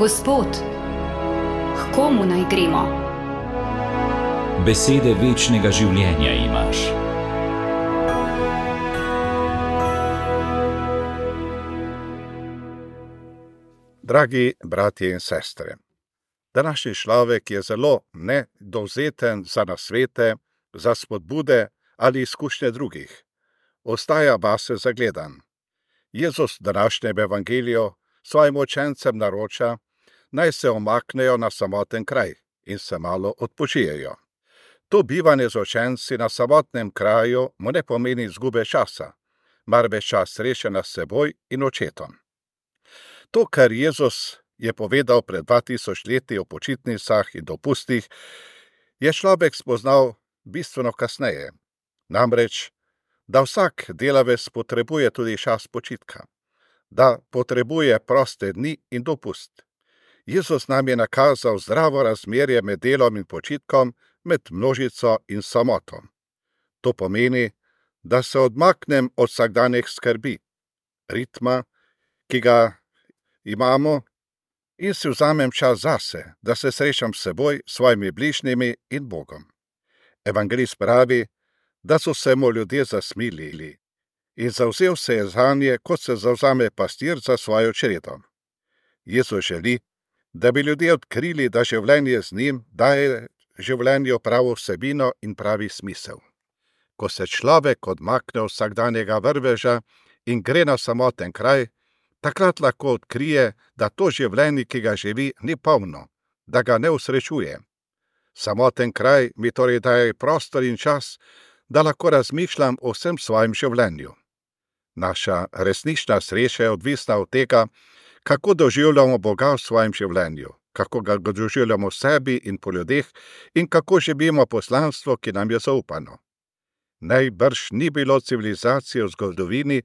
Gospod, h komu naj gremo? Besede večnega življenja imaš. Dragi bratje in sestre, današnji človek je zelo nedovzeten za nasvete, za spodbude ali izkušnje drugih. Ostaja vase zagledan. Jezus v današnjem evangeliju svojim učencem naroča, naj se omaknejo na samoten kraj in se malo odpočijejo. To bivanje z učenci na samotnem kraju mu ne pomeni izgube časa, marveč čas srečanja s seboj in očetom. To, kar Jezus je povedal pred 2000 leti o počitnicah in dopustih, je človek spoznal bistveno kasneje. Namreč, da vsak delavec potrebuje tudi čas počitka, da potrebuje proste dni in dopust. Jezus nam je nakazal zdravo razmerje med delom in počitkom, med množico in samoto. To pomeni, da se odmaknem od vsakdanjih skrbi, ritma, ki ga imamo, in si vzamem čas zase, da se srečam s seboj, svojimi bližnjimi in Bogom. Evangelist pravi, da so se mu ljudje zasmilili in zavzel se je zanje, kot se zavzame pastir za svojo čredo. Jezus želi, da bi ljudje odkrili, da življenje z njim daje življenju pravo vsebino in pravi smisel. Ko se človek odmakne od vsakdanjega vrveža in gre na samoten kraj, takrat lahko odkrije, da to življenje, ki ga živi, ni polno, da ga ne usrečuje. Samoten kraj mi torej daje prostor in čas, da lahko razmišljam o vsem svojem življenju. Naša resnična sreča je odvisna od tega, kako doživljamo Boga v svojem življenju, kako ga doživljamo v sebi in po ljudeh in kako živimo poslanstvo, ki nam je zaupano. Najbrž ni bilo civilizacije v zgodovini,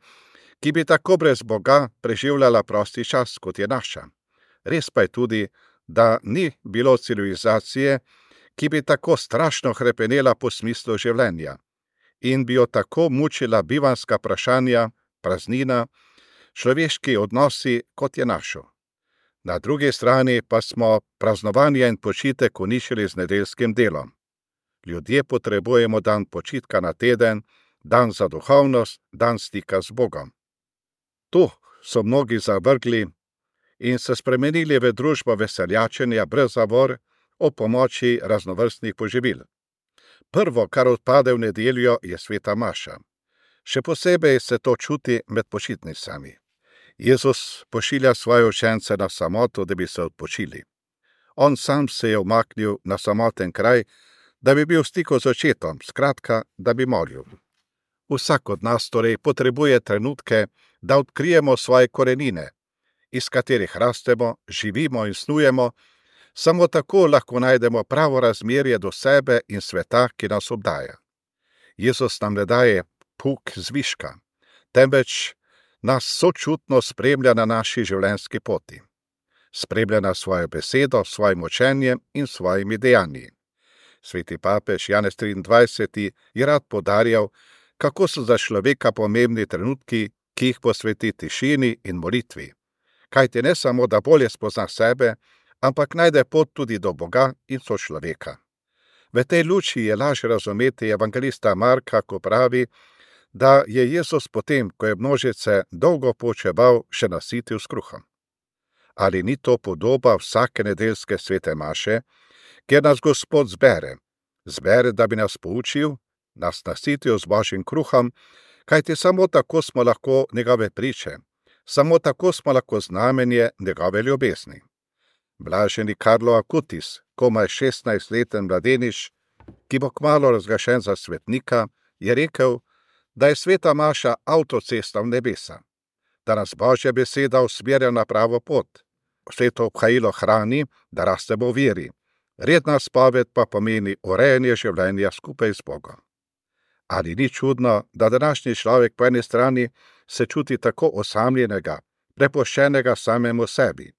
ki bi tako brez Boga preživljala prosti čas, kot je naša. Res pa je tudi, da ni bilo civilizacije, ki bi tako strašno hrepenela po smislu življenja in bi jo tako mučila bivanjska vprašanja, praznina, človeški odnosi, kot je našo. Na drugi strani pa smo praznovanje in počitek uničili z nedeljskim delom. Ljudje potrebujemo dan počitka na teden, dan za duhovnost, dan stika z Bogom. To so mnogi zavrgli in se spremenili v družbo veseljačenja brez zavor o pomoči raznovrstnih poživil. Prvo, kar odpade v nedeljo, je sveta maša. Še posebej se to čuti med počitnicami. Jezus pošilja svoje učence na samoto, da bi se odpočili. On sam se je umaknil na samoten kraj, da bi bil v stiku z očetom, skratka, da bi molil. Vsak od nas torej potrebuje trenutke, da odkrijemo svoje korenine, iz katerih rastemo, živimo in snujemo. Samo tako lahko najdemo pravo razmerje do sebe in sveta, ki nas obdaja. Jezus nam ne daje puk zviška, temveč nas sočutno spremlja na naši življenjski poti. Spremlja nas svojo besedo, svojim učenjem in svojimi dejanji. Sveti papež Janez 23. je rad poudarjal, kako so za človeka pomembni trenutki, ki jih posveti tišini in molitvi. Kajti ne samo, da bolje spozna sebe, ampak najde pot tudi do Boga in sočloveka. V tej luči je lažje razumeti evangelista Marka, ko pravi, da je Jezus potem, ko je množice dolgo poučeval, še nasitil s kruhom. Ali ni to podoba vsake nedeljske svete maše, kjer nas Gospod zbere, da bi nas poučil, nas nasitil z Božjim kruhom, kajti samo tako smo lahko njegove priče, samo tako smo lahko znamenje njegove ljubezni. Blaženi Karlo Acutis, komaj 16-leten mladenič, ki bo kmalu razglašen za svetnika, je rekel, da je sveta maša avtocesta v nebesa, da nas Božja beseda usmerja na pravo pot. Sveto obhajilo hrani, da rastemo v veri. Redna spoved pa pomeni urejanje življenja skupaj z Bogom. Ali ni čudno, da današnji človek po eni strani se čuti tako osamljenega, prepuščenega samemu sebi,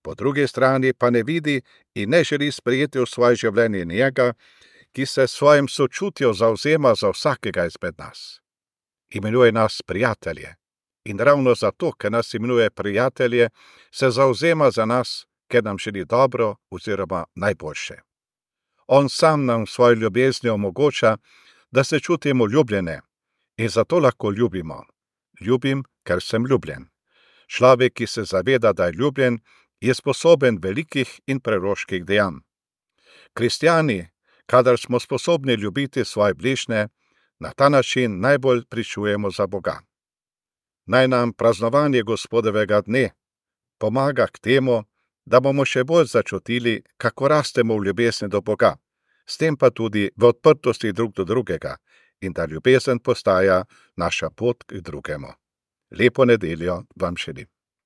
po drugi strani pa ne vidi in ne želi sprejeti v svoje življenje njega, ki se svojim sočutjem zavzema za vsakega izmed nas. Imenuje nas prijatelje in ravno zato, ker nas imenuje prijatelje, se zavzema za nas, ker nam želi dobro oziroma najboljše. On sam nam svojo ljubeznijo omogoča, da se čutimo ljubljene in zato lahko ljubimo. Ljubim, ker sem ljubljen. Človek, ki se zaveda, da je ljubljen, je sposoben velikih in preroških dejanj. Kristjani, kadar smo sposobni ljubiti svoje bližnje, na ta način najbolj pričujemo za Boga. Naj nam praznovanje Gospodovega dne pomaga k temu, da bomo še bolj začutili, kako rastemo v ljubezni do Boga, s tem pa tudi v odprtosti drug do drugega in da ljubezen postaja naša pot k drugemu. Lepo nedeljo vam želim.